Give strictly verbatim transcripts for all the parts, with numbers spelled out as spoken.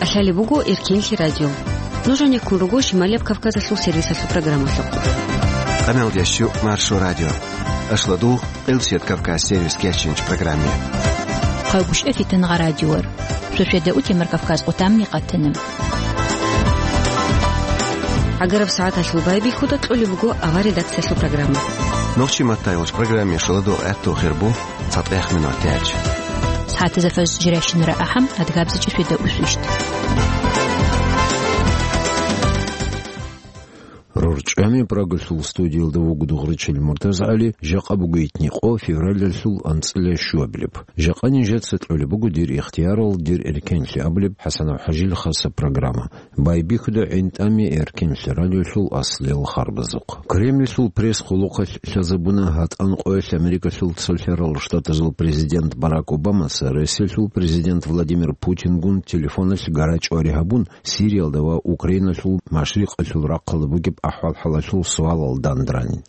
КӀалъалеб буго Эркенлъи радио. Нуж гьанеккун руго Шималияб Кавказалъул сервисалъул программалъухъ. Къамел ящу Маршо радио. Ашладу Къилсият Кавказ сервис кечинч программе. Хъавгуш эфитан гъа радиор. Шошведа утемар Кавказ къутамни къатана. ГӀагараб сагӀаталъул байбихьуда кьолеб буго авар редакциялъул программа. Нохчи маттайолч программе шаладу гӀатту хирбу. ЦатӀех минут тяч. СагӀатазда фаз жиращинара ахӀам, адгабзичӀи феда усвищ. РорчӀами Прагалъул студиялда вуго Дугъричил МуртазагӀали, жакъа буго итни къо февралалъул анцӀила щуабилеб. Жакъа нижеца кьолеб буго дир ихтиярал, дир эркенлъи абулеб ХӀасанов ХӀажил хаса программа. Байбихьуда гӀинтӀами Эркенлъи радиолъул аслел харбазухъ. Кремльлъул пресс-къулухъалъ лъазабуна гьатӀан къоялъ Америкалъул цолъарал штатазул президент Барак Обамаца Россиялъул президент Владимир Путингун телефоналъ гарачӀвари гьабун, Сириялда ва Украиналъул машрикъалъул рахъалда бугеб ахӀвал-хӀалалъул суалал данде ранин.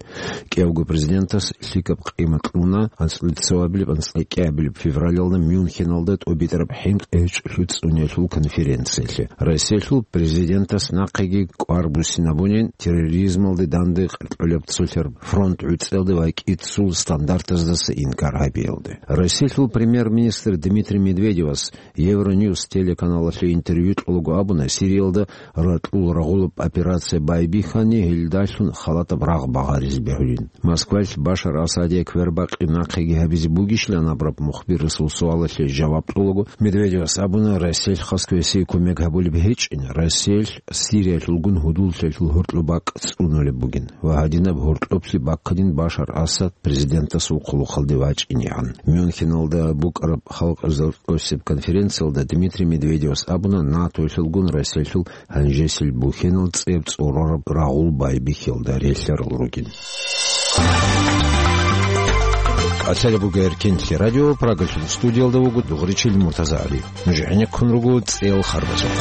КӀиявго президентас лъикӀаб къимат кьуна, анцӀила цоабилеб, анцӀила кӀиабилеб февралалда Мюнхеналда тӀубитӀараб хӀинкъи гьечӀолъи цӀуниялъул конференциялъе. Россиялъул президентас нахъеги кӀвар буссинабунин терроризмалде данде кьолеб цолъараб фронт гӀуцӀиялде ва кӀицӀул стандарттаздаса инкар гьабиялде. Россиялъул премьер-министр Дмитрий Медведевас Евроньюс телеканалалъе интервью кьолаго абуна, Сириялда ракьул рагъулаб операция байбихьани, гьелдалъун халатаб рагъ багъаризе бегьулин. Москвалъ Башар Асадие квербакъи нахъеги гьабизе бугищилан абураб мухбирасул суалалъе жаваб кьолаго, Медведевас абуна, Россиялъ хас квесие кумек гьабулеб гьечӀин, Россиялъ Сириялъулгун гьудуллъиялъул гьоркьоб бакӀ цӀунулеб бугин ва гьадинаб гьоркьоблъи баккадин Башар Асад президентасул хъулухъалде вачӀинегӀан. Мюнхеналда букӀараб халкъ Къосеб конференциялда Дмитрий Медведевас абуна, НАТОялъулгун Россиялъул гьанжесил бухьенал цӀеб цӀорораб рагъул байбихьиялда релълъарал ругин. КӀалъалеб буго Эркенлъи радио, Прагалъул студиялда вуго Дугъричил МуртазагӀали. Нуж гӀенеккун руго цӀел харбазухъ.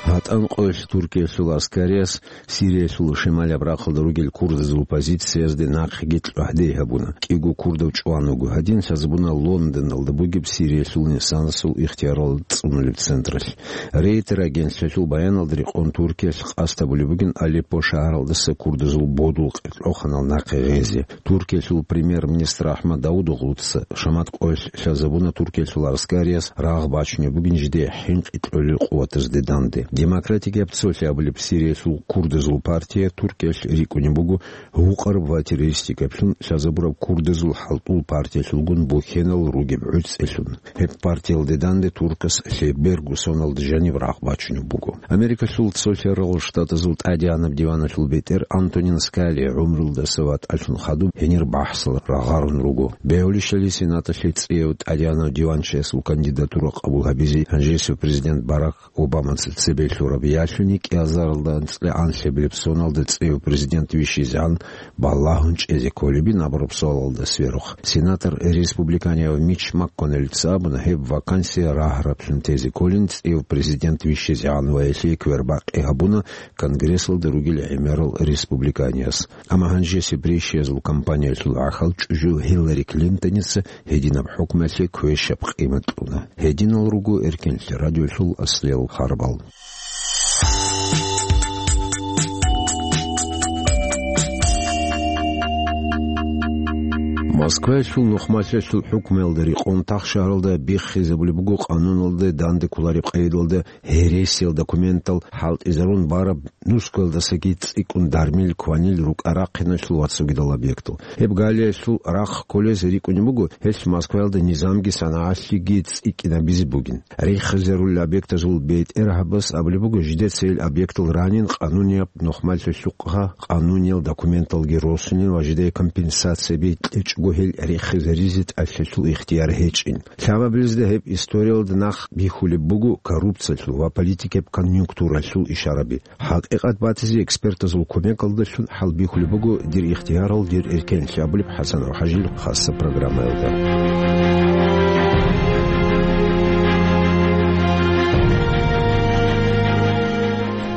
ГьатӀан къоялъ Туркиялъул аскариялъ Сириялъул шималаб рахъалда ругел курдазул позициязде нахъеги кьогьдей гьабуна. КӀиго курдав чӀван вуго. Гьадин лъазабуна Лондоналда бугеб Сириялъул инсанасул ихтиярал цӀунулеб централъ. Рейтер агентлъиялъул баяналда рекъон Туркиялъ къасд гьабулеб бугин Алеппо шагьаралдаса курдазул бодул къеркьоханал нахъе гъезе. Туркиялъул премьер-министр АхӀмад Давутоглуца шамат къоялъ лъазабуна Туркиялъул аскариялъ рагъ бачунеб бугин жидее хӀинкъи кьолел къуватазде данде. Демократикияб цолъи абулеб Сириялъул курдазул партия Туркиялъ рикӀкӀунеб буго гьукъараб ва террористикаблъун лъазабураб курдазул хӀалтӀул партиялъулгун бухьенал ругеб гӀуцӀелъун. Гьеб партиялде данде туркас лъеберго соналда жаниб рагъ бачунеб буго. Америкалъул цолъарал штатазул тӀадегӀанаб диваналъул бетӀер Антонин Скали гӀумрулдаса ватӀалъун хадуб гьенир бахӀсал рагъарун руго. Бегьулищали Сенаталъе цӀияв тӀадегӀанав диванчиясул кандидатура къабул гьабизе гьанжесев президент Барак Обамаца цебе лъураб ялъуни кӀиазаралда анцӀила анлъабилеб соналда цӀияв президент вищизегӀан балагьун чӀезе кколебин абураб суалалда сверухъ, сенатор республиканияв Мич МакКоннеллица абуна, гьеб вакансия рагьараблъун тезе кколин цӀияв президент вищизегӀан ва гьелъие квербакъи гьабуна Конгрессалда ругел гӀемерал республиканияс. Амма гьанжесеб рейсиязул кампаниялъул гӀахьал чӀужу Гьиллари Клинтоница гьединаб хӀукмуялъе квешаб къимат кьуна. Гьединал руго Эркенлъи радиолъул аслиял харбал. Москваялъул нухмалъиялъул хӀукмуялда рекъон тахшагьаралда биххизабулеб буго къануналда данде кколареб къайдалда гьересиял документал хӀалтӀизарун бараб нусгоялдасаги цӀикӀкӀун дармил кванил рукӀа-рахъиналъул ва цогидал объектал. Гьеб галиялъул рахъ кколез рикӀкӀунеб буго, гьелъ Москваялда низамги санагӀалъиги цӀикӀкӀинабизе бугин. Риххизарулел объектазул бетӀергьабас абулеб буго, жидеца гьел объектал ранин къанунияб нухмалъиялъухъ къануниял документалги росунин ва жидее компенсацияби кьечӀого гьел риххизаризе тӀалъалъул ихтияр гьечӀин. Лъабабилезда гьеб историялда нахъ бихьулеб буго коррупциялъул ва политикияб конъюнктуралъул ишараби. ХӀакъикъат батизе экспертазул кумекалдалъун хӀалбихьулеб буго дир ихтиярал, дир эркенлъи абулеб ХӀасан ва ХӀажил хасаб программаялда.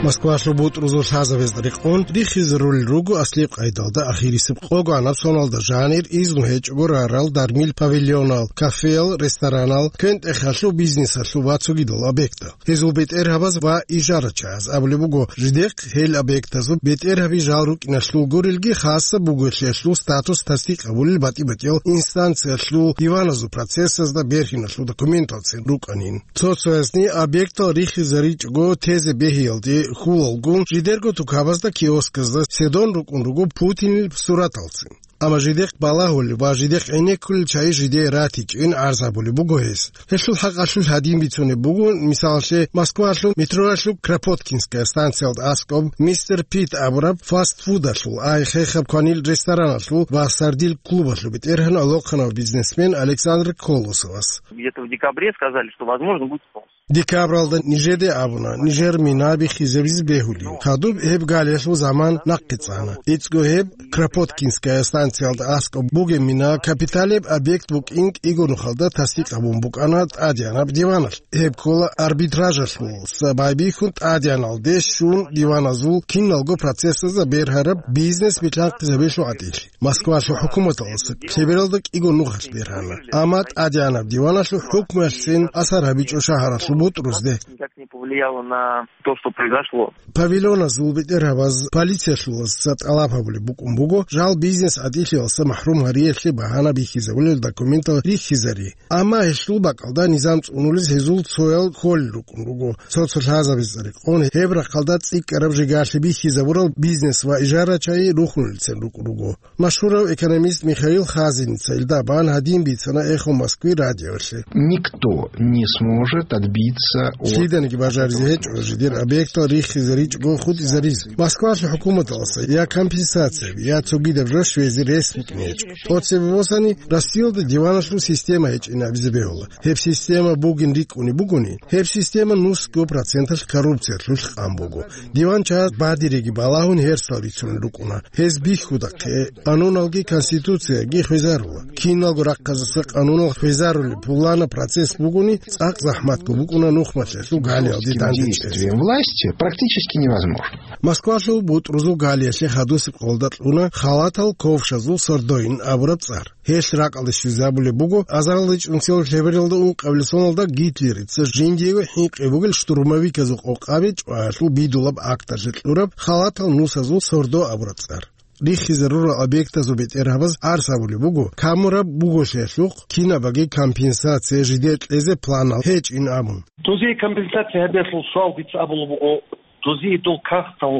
Москвалъул бутӀрузул лъазабазда рекъон риххизарулел руго аслияб къайдалда ахирисеб къогоанаб соналда жанир изну гьечӀого рарал дармил павильонал, кафеял, ресторанал, квен-тӀехалъул бизнесалъул ва цогидал объектал. Гьезул бетӀергьабаз ва ижарачагӀаз абулеб буго, жидехъ гьел объектазул бетӀергьаби жал рукӀиналъул гурелги, хасаб бугелъиялъул статус тасдикъ гьабулел батӀи-батӀиял инстанциялъул диваназул процессазда бергьиналъул документалцин рукӀанин. Цо-цоязни объектал риххизаричӀого тезе бегьиялде хьулалгун, жидерго тукабазда, киосказда седон рукӀун руго Путинил сураталцин. Амма жидехъ балагьулел ва жидехъ гӀенеккулел чагӀи жидее ратичӀин гӀарз гьабулеб буго гьес. Гьелъул хӀакъалъулъ гьадин бицунеб буго, мисалалъе, Москвалъул метролъул Кропоткинская станциялда аскӀоб Мистер Пит абураб фастфудалъул, ай хехаб кванил рестораналъул ва сардил клубалъул бетӀергьан алохъанав бизнесмен Александр Колосовас. Где-то в декабре сказали, что, возможно, будет снос. Декабралда нижеде абуна, нижер мина биххизабизе бегьулин. Хадуб гьеб галиялъул заман нахъе цӀана. ИцӀго гьеб Кропоткинская станциялда аскӀоб бугеб мина капиталияб объект букӀин кӀиго нухалда тасдикъ гьабун букӀана тӀадегӀанаб диваналъ. Гьеб ккола арбитражалъул, са байбихьун тӀадегӀаналде щун диваназул киналго процессазда бергьараб бизнес билъанхъизабиялъул гӀатӀилъи. Москвалъул хӀукуматалъ лъебералда кӀиго нухалъ бергьана, амма тӀадегӀанаб диваналъул хӀукмуялъцин асар гьабичӀо шагьаралъул бутӀрузде. Никак не повлияло на то, что произошло. Павильоназул бетӀергьабаз полициялъуласа тӀалаб гьабулеб букӀун буго жал бизнес гӀатӀилъиялдаса махӀрум гьариялъе багьана бихьизабулел документал риххизари. Амма гьелъул бакӀалда низам цӀунулез гьезул цоял кколел рукӀун руго. Цо-цо лъазабазда рекъон гьеб рахъалда цӀикӀкӀараб жигарлъи бихьизабурал бизнес ва ижарачагӀи рухунелцин рукӀун руго. Машгьурав экономист Михаил Хазиница илда бан гьадин бицана «Эхо Москвы» радиолъе. Никто не сможет отбиться от... Лъиданиги бажаризе гьечӀо жидер объектал риххизаричӀого хутӀизаризе. Москвалъул хӀукуматалдаса я компенсацияби, я цогидаб жо щвезе рес букӀине гьечӀо. ТӀоцебе босани, Россиялда диваналъул система гьечӀин абизе бегьула. Гьеб система бугин рикӀкӀунеб бугони, гьеб система нусго проценталъ коррупциялъулъ къан буго. Диван чагӀаз бадириги балагьун гьерсал рицунел рукӀуна. Гьез бихьудахъе, къануналги конституцияги хвезарула. Киналго рахъазаса къанунал хвезарулеб пуланаб процесс бугони, цӀакъ захӀматго букӀуна нухмалъиялъул галиялде дандечӀезе. Власти практически невозможно. Москвалъул бутӀрузул галиялъе хадусеб къолда кьуна халатал ковшазул сордоин абураб цӀар. Гьелъ ракӀалде щвезабулеб буго азарилда чӀунсиялда лъебералда ункъабилеб соналда Гитлерица жиндиего хӀинкъи бугел штурмовиказул къокъаби чӀваялъул бидулаб акталъе кьураб халатал нусазул сордо абураб цӀар. Риххизарурал объектазул бетӀергьабаз гӀарз гьабулеб буго, камураб буголъиялъухъ кинабаги компенсация жидее кьезе планал гьечӀин абун. Дозие компенсация гьабиялъул суал дица абулеб буго, дозие дол кагътал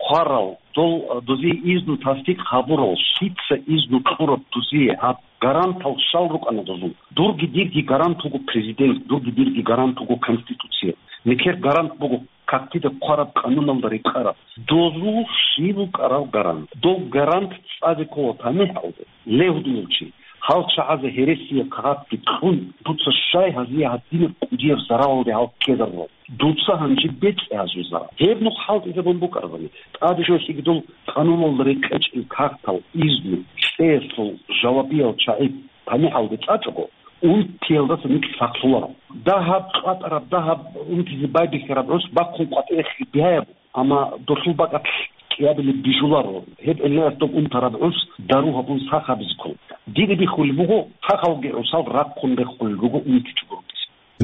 хъварал, дол, дозие изну тасдикъ гьабурал, лъица изну кьураб дозие гьаб? Гарантал щал рукӀана дозул? Дурги дирги гарант вуго президент, дурги дирги гарант вуго конституция. Нилъер гарант буго кагътида хъвараб, къануналда рекъараб. Дозул щиб букӀараб гарант? Дов гарант цӀазе ккола тамихӀалде, ле гьудулав чи. Гьал чагӀазе гьересияб кагъатги кьун, дуца щай гьазие гьадинаб кӀудияб заралалде гьал ккезарурал? Дуца гьанже бецӀе гьазул зарал. Гьеб нух хӀалтӀизабун букӀарабани, тӀаде жо лъигидул къануналда рекъечӀел кагътал изну кьеялъул жавабиял чагӀи тамихӀалде цӀачӀого, унтиялдаса нилъ сахлъуларо. Дагьаб къватӀараб, дагьаб унтизе байбихьараб гӀус бахъун къватӀирехъе бигьаяб, амма долъул бакӀалъ кӀиабилеб бижуларо. Гьеб гӀиллаялъ доб унтараб гӀус дару гьабун сах гьабизе ккола. Дида бихьулеб буго, сахалги гӀусал рахъун рехулел руго унтичӀого рукӀине.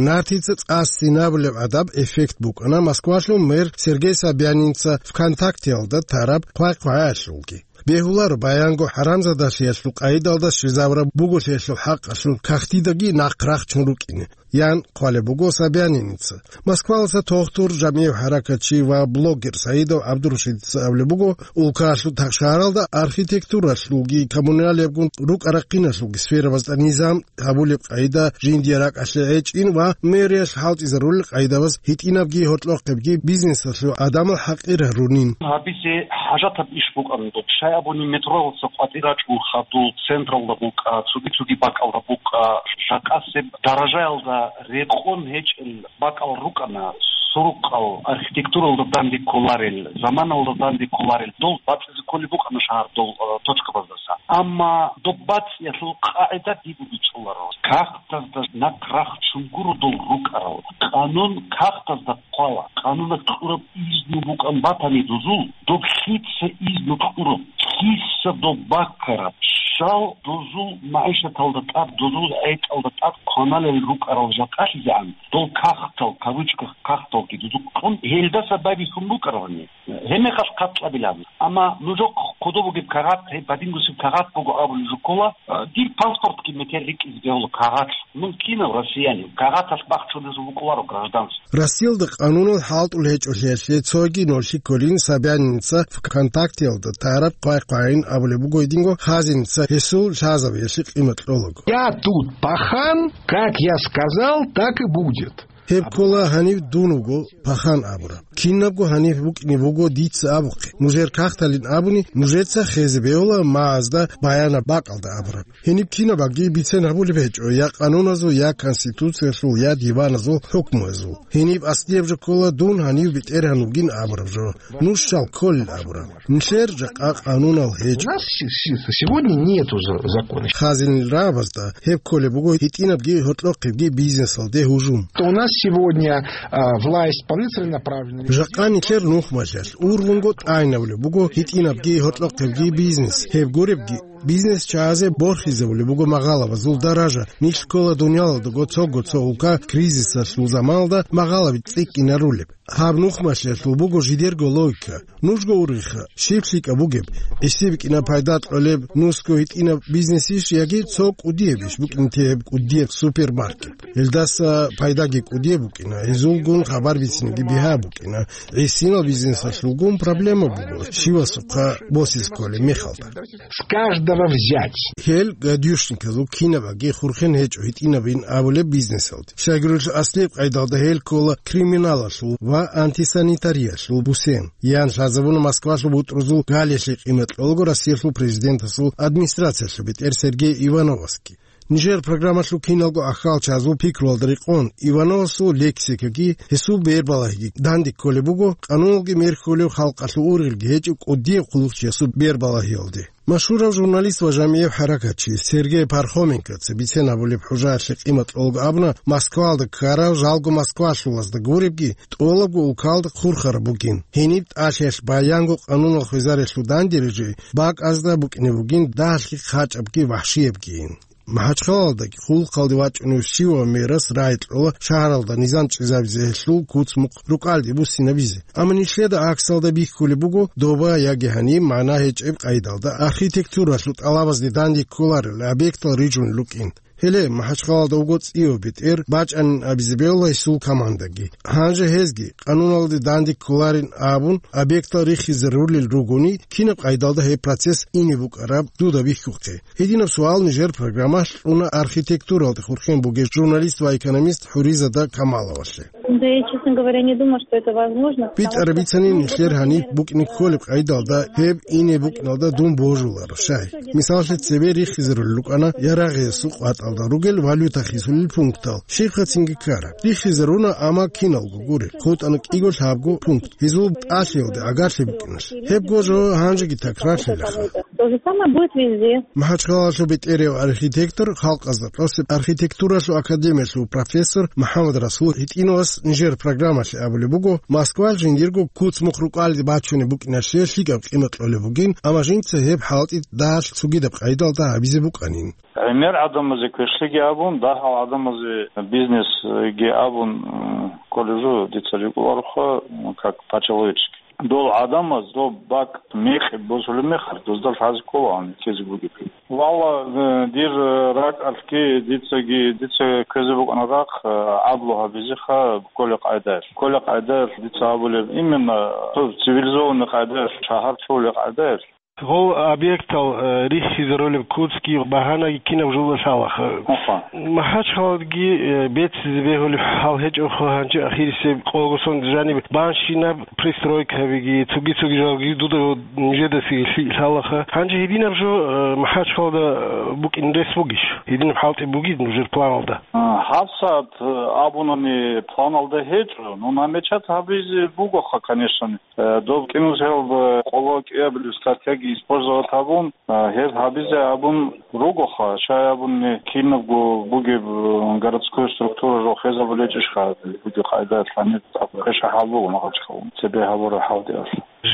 Нартица цӀа-сцинабулеб гӀадаб эффект букӀана Москвалъул мэр Сергей Собянинца ВКонтактеялда тараб хъвай-хъвагӀаялъулги. Бегьуларо баянго хӀарамзадалъиялъул къайдалда щвезабураб буголъиялъул хӀакъалъулъ кагътидаги нахъ рахчун рукӀине, ян хъвалеб буго Собянинца. Москваласа тохтур, жамигӀ хӀаракатчи ва блогер Саидов ГӀабдурашидица абулеб буго, улкалъул тахшаралда архитектуралъулги коммуналиябгун рукӀа-рахъиналъулги сферабазда низам гьабулеб къайда жиндие ракӀалъе гӀечӀин ва мэриялъ хӀалтӀизарулел къайдабаз гьитӀинабги гьоркьохъебги бизнесалъул гӀадамал хӀакъир гьарунин. Гьабизе хӀажатаб иш букӀана доб. Щай абуни, метроласа къватӀир рачӀун хадуб, централда букӀа, цоги-цоги бакӀалда букӀа, жакъасеб даражаялда рекъон гьечӀел бакӀал рукӀана. Туркъал архитектуралда данде кколарел, заманалда данде кколарел, дол бацӀизе кколеб букӀана шагьар дол, э, точкабаздаса. Амма доб бацӀиялъул къагӀида дибуги чӀоларо. Кагътазда нахърах чунгуро дол рукӀарал. Къанун кагътазда хъвала. Къануна кьураб изну букӀан батани дозул, доб лъица изну кьураб, лъица доб баккараб, щал дозул магӀишаталда тӀад, дозул гӀетӀалда тӀад кваналел рукӀарал жакъалъизегӀан, дол кагътал, кавычках кагъталги дузухъун, гьелдаса байбихьун букӀарабани. Гьебмехалъ хъат кьабилан. Амма нужехъ кодоб бугеб кагъат, гьеб бадингусеб кагъат буго абулеб жо ккола, а, дир паспортги метер рикӀкӀизе бегьула кагъат. Мун кинав россиянин, кагъаталъ бахчулезул букӀуларо гражданство. Россиялда къанунал хӀалтӀул гьечӀолъиялъе цоги нолъи кколин Собяниница ВКонтактеялда тараб хъвай-хъвайин абулеб буго гьединго, хазиница гьесул лъазабиялъе къимат кьолаго. Я тут пахан, как я сказал, так и будет. Гьеб ккола гьанив дун вуго пахан абураб. Кинабго гьанив букӀине буго дица абухъе. Нужер кагъталин абуни, нужеца хезе бегьула магӀазда баянаб бакӀалда абураб. Гьениб кинаб багги бицен гьабулеб гьечӀо я къануназул, я Конституциялъул, я диваназул хӀукмуязул. Гьениб аслияб жо ккола дун гьанив бетӀергьан вугин абураб жо, нуж щал кколел абураб. Нилъер жакъа къанунал гьечӀо. У нас се-, се-, сегодня нету за-, закона. Хазинил рагӀабазда гьеб кколеб буго гьитӀинабги гьоркьохъебги бизнесалде гьужум. То у нас сегодня, а, власть исполнительная направлена. Жакъа нилъер нухмалъалъ ургъунго тӀагӀинабулеб буго гьитӀинабги гьоркьохъебги бизнес. Гьеб гуребги, бизнес чагӀазе борхизабулеб буго магъалабазул даража. Нилъ ккола дунялалдаго цого-цо улка кризисалъул заманалда магъалаби цӀикӀкӀинарулеб. Гьаб нухмалъиялъул буго жидерго логика. Нужго ургъиха, щиб лъикӀаб бугеб, гьесие букӀина пайда кьолеб нусго гьитӀинаб бизнесищ яги цо кӀудиябищ букӀин тегьеб кӀудияб супермаркет? Гьелдаса пайдаги кӀудияб букӀина, гьезулгун хабар бициниги бигьа букӀина. ГӀисинал бизнесалъулгун проблема буго, щивасухъа босизе кколеб мехалда. С каждого взять. Гьел гадюшниказул кинабаги хурхен гьечӀо гьитӀинабин абулеб бизнесалде. Щайгурелъул аслияб къайдалда гьел ккола криминалалъул ва антисанитариялъул бусен. Ян лъазабуна Москвалъул бутӀрузул галиялъе къимат кьолаго Россиялъул президентасул администрациялъул бетӀер Сергей Ивановасги. Нижер программалъул киналго ахьалчазул пикруялда рекъон Ивановасул лексикаги, гьесул бербалагьиги данде кколеб буго, къануналги мер хьулев халкъалъул ургъелги гьечӀев кӀудияб хъулухъчиясул бербалагьиялде. Машгьурав журналист ва жамигӀев хӀаракатчи Сергей Пархоменкоца бицен абулеб хӀужаялъе къимат кьолаго абуна, Москвалда ккарал жалго москвалъулазда гуребги, тӀолабго улкалда хурхараб бугин. Гьениб тӀалъиялъ баянго къанунал хвезарелъул дандеризе бакӀазда букӀине бугин дагьалъги хъачӀабги вахӀшиябгийин. МахӀачхъалалдаги хъулухъалде вачӀунев щивав мерас рагӀи кьола шагьаралда низам чӀезабизе гьелъул куц-мукъ рукӀалде буссинабизе. Амма нилъеда гӀаксалда бихьулеб буго доба яги гьаниб магӀна гьечӀеб къайдалда архитектуралъул тӀалабазде данде кколарел объектал рижун рукӀин. Гьеле МахӀачхъалалда вуго цӀийо бетӀер бачӀанин абизе бегьула гьесул командаги. Гьанже гьезги, къануналде данде кколарин абун, объектал рихизе рулел ругони, кинаб къайдалда гьеб процесс ине букӀараб дуда бихьухъе? Гьединаб суал нижер программалъ кьуна архитектуралде хурхен бугев журналист ва экономист ХӀуризада Камаловалъе. Да я, честно говоря, не думаю, что это возможно, потому что... БитӀараб бицани нилъер гьаниб букӀине кколеб къайдалда гьеб ине букӀиналда дун божуларо, щай. Мисаллъи, цебе рихизарулел рукӀана Ярагъиясул къватӀалда ругел валюта хисулел пунктал, щибха цинги ккараб. Рихизаруна, амма киналго гури, хутӀана кӀиго-лъабго пункт, гьезул тӀалъиялде агарлъи букӀиналъ. Гьебго жо гьанжеги такрарлъилаха. То же самое будет везде. МахӀачхъалалъул бетӀерав архитектор, халкъазда тӀасеб архитектуралъул академиялъул профессор МухӀаммад Расул гьитӀинавас нижер программалъе абулеб буго, Москвалъ жиндирго куц-мухъ рукӀалде бачунеб букӀиналъе лъикӀаб къимат кьолеб бугин, амма жинца гьеб хӀалтӀи дагьалъ цогидаб къайдалда гьабизе букӀанин. ГӀемер гӀадамазе квешлъиги абун, дагьал гӀадамазе бизнесги абун, м, кколеб жо дица рикӀкӀунароха, м, как по-человечески. Дол гӀадамаз доб бакӀ мекъи босулеб мехалъ, дозда лъазе ккола гьаниб ккезе бугеб. Валла, э, дир, э, ракӀалъги дицаги, дица ккезе букӀана рахъ, э, гӀадлу гьабизеха кколеб къайдаялъ. Кколеб къайдаялъ дица абулеб, именно цо цивилизованный къайдаялъ, шагьар чӀолеб къайдаялъ. Гъол объектал, э, рихьизарулеб куцги багьанаги кинаб жо лъалаха. Аха. МахӀачхъаладги, э, беццизе бегьулеб хӀал гьечӀоха, гьанже ахирисеб къогосон жаниб банщинаб пристройкабиги, цоги-цоги жалги дуда нижедасе лъи-, лъалаха. Гьанже гьединаб жо, э, МахӀачхъалада, э, букӀин рес бугищ? Гьединаб хӀалтӀи бугищ нужер планалда? А, гьабсагӀат, э, абунани планалда гьечӀо, но намечат гьабизе бугоха, конечно. Э, доб кӀинусиялда къоло кӀиабилеб статьяги использовать гьабун, э, гьеб гьабизе абун ругоха, щай абуни кинабго бугеб, э, городской структура жо хвезабулечӀищха, бугеб къайда лъани тӀакӀу квеша хӀал буго Махачкала, цебе гьабура хӀалдиялъ.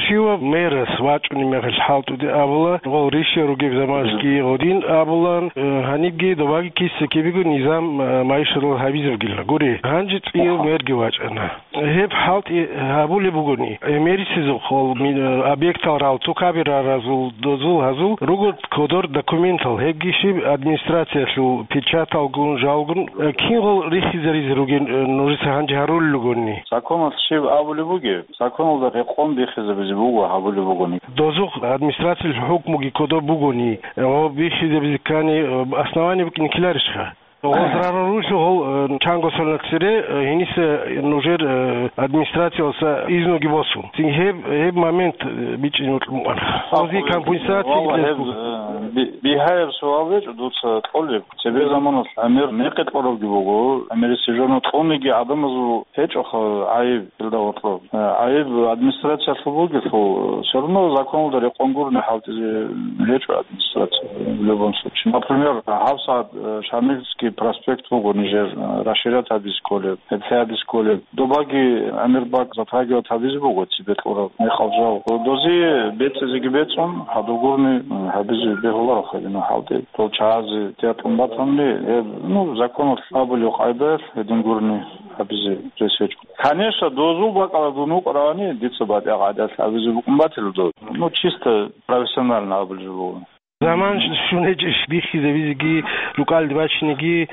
Щивав мэрас вачӀунеб мехалъ хӀалтӀуде абула, гъол ришия ругеб заманасги гъодин абулан, э, гьанибги добаги киса-кибего низам, э, майшарал гьабизабгила. Гури, гьанже цӀияв мерги вачӀана. Гьеб хӀалтӀи гьабулеб бугони, гӀемерисезухъ гьол ми-, объектал рал, цо кабираразул, дозул гьазул руго кодор документал, гьебги щиб администрациялъул печаталгун, жалгун, э, кин гъол рихизаризе ругин, э, нужеца гьанже гьарулел ругони? Законалъ щиб абулеб бугеб? Законалда рекъон бихизабизе буго гьабулеб бугони. Дозухъ администрациялъул хӀукмуги кодоб бугони, э, гъоб бихизабизе ккани, э, основание букӀине ккеларищха? Гъоз рарурулъул гьол, э, чанго соналъ цере, э, гьениса нужер, э, администрациялъа изнуги босун. Цин гьеб, гьеб момент, э, бичӀчӀизе мукьун букӀана. Гъозие компенсация Валла, гьеб, гьеб, э, би-, бигьаяб суал гьечӀо дуца кьолеб. Цебе заманалъ гӀемер мекъи кьоравги буго, гӀемерисеб жо кьуниги гӀадамазул гьечӀоха гӀайиб, илда гьоркьоб. Э, гӀайиб администрациялъул бугелъул, всё равно законалда рекъон гурони хӀалтӀизе гьечӀо администрация, в любом случае. Например, гьабсагӀат, э, Шамильский проспект буго нижер, э, расширять гьабизе кколеб, гьеб лъай гьабизе кколеб. Добаги гӀемер бакӀ затрагивать гьабизе буго цебе кьураб мекъал жал. Дозие бецӀизеги бецӀун, гьадур гурони, э, гьабизе бегьуларо гьединал хӀалтӀи. Дол чагӀазе тӀатун батани, гьеб, ну, законалъ абулеб къайдаялъ гьедин гурони гьабизе рес гьечӀо. Конечно, дозул бакӀалда дун вукӀаравани, дица батӀа гӀадат абизе букӀун батила дов. Ну, чисто профессионально абулеб буго. Заман щунечӀищ бихьизабизеги, рукӀалде бачинеги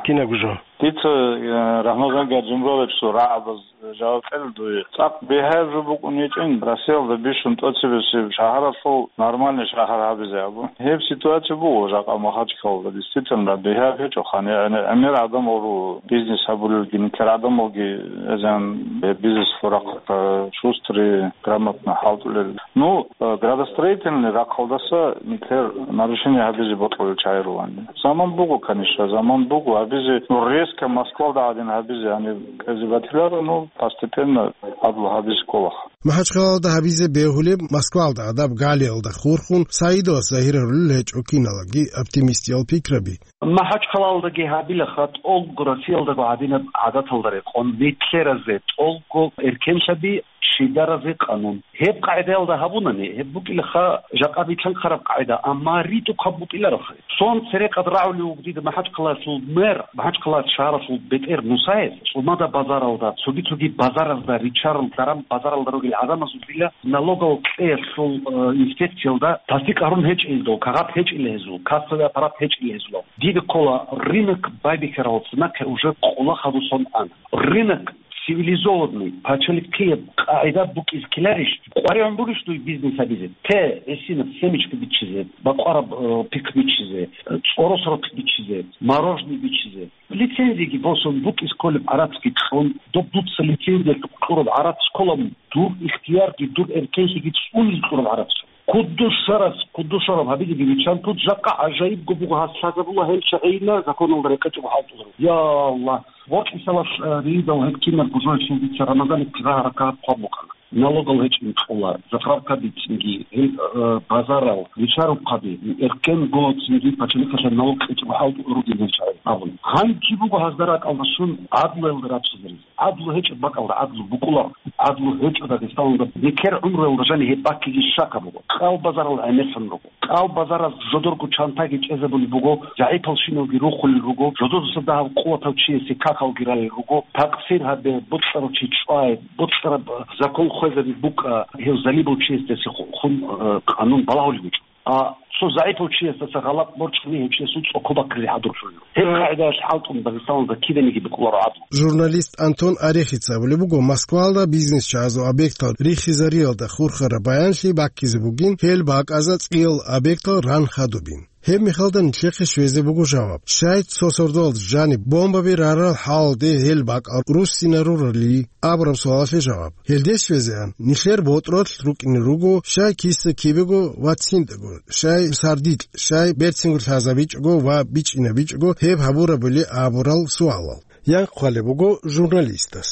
кинабго жо? Дица, э, Рамазан Гаджимурадовичасул рагӀабаз жаваб кьела дуе. ЦӀакъ бигьаяб жо букӀун гьечӀин, Россиялда бищун тӀоцебесеб шагьаралъул нормальный шагьар гьабизе абун. Гьеб ситуация буго жакъа Махачкалалда. Действительно, бигьаяб гьечӀо хъани, гӀемер гӀадамал руго, бизнес гьабулелги, нилъер гӀадамалги эзан гьеб бизнес рахъ, э, шустрый, грамотно хӀалтӀулел. Ну, э, градостроительный рахъалдаса нилъер нарушение гьабизе бокьулел чагӀи ругони. Заман буго, конечно, заман буго гьабизе, ну, резко Москвалда гӀадин гьабизе гьаниб кӀвезе батиларо, ну, постепенно гьадлу гьабизе кколаха. Махачкалалда гьабизе бегьулеб, Москвалда гӀадаб галиялда хурхун, Саидовас загьир гьарулел гьечӀо киналги оптимистиял пикраби. Махачкалалдаги гьабилаха тӀолго Россиялдаго гьадинаб гӀадаталда рекъон, нилъеразе тӀолго эркенлъаби, чидаразе къанун. Гьеб къагӀидаялда гьабунани, гьеб букӀилаха жакъа битӀун хъараб къагӀида, амма ритӀухъаб букӀилароха. Цон церекъад рагӀулев вуго дида Махачкалалъул мэр, Махачкала шагьаралъул бетӀер Мусаев, ЦӀумада базаралда, цоги-цоги базаразда ричарал даран базаралда ругел гӀадамазулила налогал кьеялъул, э, инспекциялда тасдикъ гьарун гьечӀел дов, кагъат гьечӀила гьезул, кассовый аппарат гьечӀила гьезул. Дида ккола, рынок байбихьарал цинахъе уже къола хадусон ана. Рынок цивилизованный, пачалихъияб къагӀида букӀиз ккеларищ, къваригӀун бурищ дуй бизнес гьабизе? Те, гӀисинаб семечка биччизе, бакъвараб, э, пихъ биччизе, э, цӀоросрухъ биччизе, мороженое биччизе. Лицензияги босун букӀиз кколеб гӀарацги кьун, доб дуца лицензиялъухъ кьураб гӀарац ккола, дур ихтиярги, дур эркенлъиги цӀунизе кьураб гӀарац. Куддушарас, куддушараб гьабилеги виччан, тут жакъа гӀажаибго буго гьас лъазабула гьел чагӀийилла законалда рекъечӀого хӀалтӀуларо. Я Аллагь, бокьисалас, э, ридал гьеб кинабго жоялъул дица Рамазанихъе рагьараб кагъат хъван букӀана. Налогал гьечӀин кьола, заправкаби цинги, гьел, э, базарал, ричарухъаби, эркенго цинги пачалихъалъе налог кьечӀого хӀалтӀулел ругел гьел чагӀи абун. Гьанже буго гьазда ракӀалдасун гӀадлуялда раччизаризе. ГӀадлу гьечӀеб бакӀалда гӀадлу букӀула, гӀадлу гьечӀо Дагъистаналда, бекер гӀумруялда жани гьеб баккиги щака буго. Кьал базарал гӀемерлъун руго. Кьал базараз жодорго чантаги чӀезабулеб буго, загӀипалщиналги рухулел руго, жодозаса дагьав къуватав чиясе какалги ралел руго, такъсир гьабе, бокьарав чи чӀвай, бокьараб закон хвезаби букӀа, гьев залибав чиясдаса ху-, хун, э, къанун балагьулеб гьечӀо. А Цо загӀипав чиясдаса гъалатӀ борчӀани гьев чиясул цӀокӀкӀо баккизе хӀадур лъугӀила. Гьеб гьа, къагӀидаялъ хӀалтӀун Дагъистаналда киданиги букӀунаро гӀадлу. Журналист Антон Орехица абулеб буго, Москваялда бизнес чагӀазул объектал рихизариялда хурхараб баянлъи баккизе бугин, гьел бакӀазда цӀиял объектал ран хадубин. Гьеб мехалда нилъехъе щвезе буго жаваб. Щай цо сордоялда жаниб бомбаби рарал хӀалалде гьел бакӀал руссинарурали абураб суалалъе жаваб. Гьелде щвезегӀан, нилъер ботӀролъ рукӀине руго, щай киса кибего ва цинтӀаго, щай сардилъ, щай берцинго лъазабичӀого ва бичӀчӀинабичӀого гьеб гьабурабали абурал суалал. Янхъ хъвалеб буго журналистас.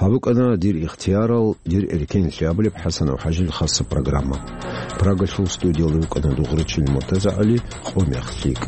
Гьаб букӀана дир ихтиярал, дир эркенлъи абулеб ХӀасанов ХӀажил хасаб программа. Прагалъул студиялда вукӀана Дугърачил МуртазагӀали, «Къо мех лъикӀ».